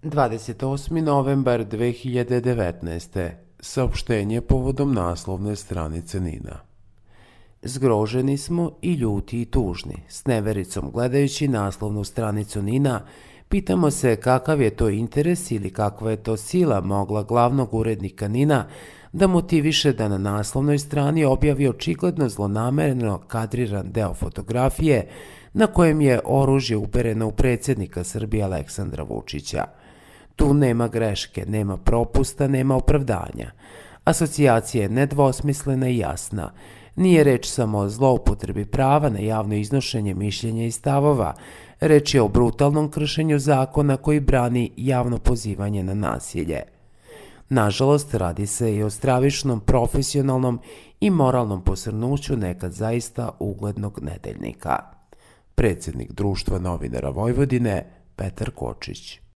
28. novembar 2019. Saopštenje povodom naslovne stranice NIN-a. Zgroženi smo i ljuti i tužni. S nevericom gledajući naslovnu stranicu NIN-a, pitamo se kakav je to interes ili kakva je to sila mogla glavnog urednika NIN-a da motiviše da na naslovnoj strani objavi očigledno zlonamerno kadriran deo fotografije na kojem je oružje upereno u predsjednika Srbije Aleksandra Vučića. Tu nema greške, nema propusta, nema opravdanja. Asocijacija je nedvosmislena i jasna. Nije reč samo o zloupotrebi prava na javno iznošenje mišljenja i stavova, reč je o brutalnom kršenju zakona koji brani javno pozivanje na nasilje. Nažalost, radi se i o stravičnom profesionalnom i moralnom posrnuću nekad zaista uglednog nedeljnika. Predsjednik Društva novinara Vojvodine, Petar Kočić.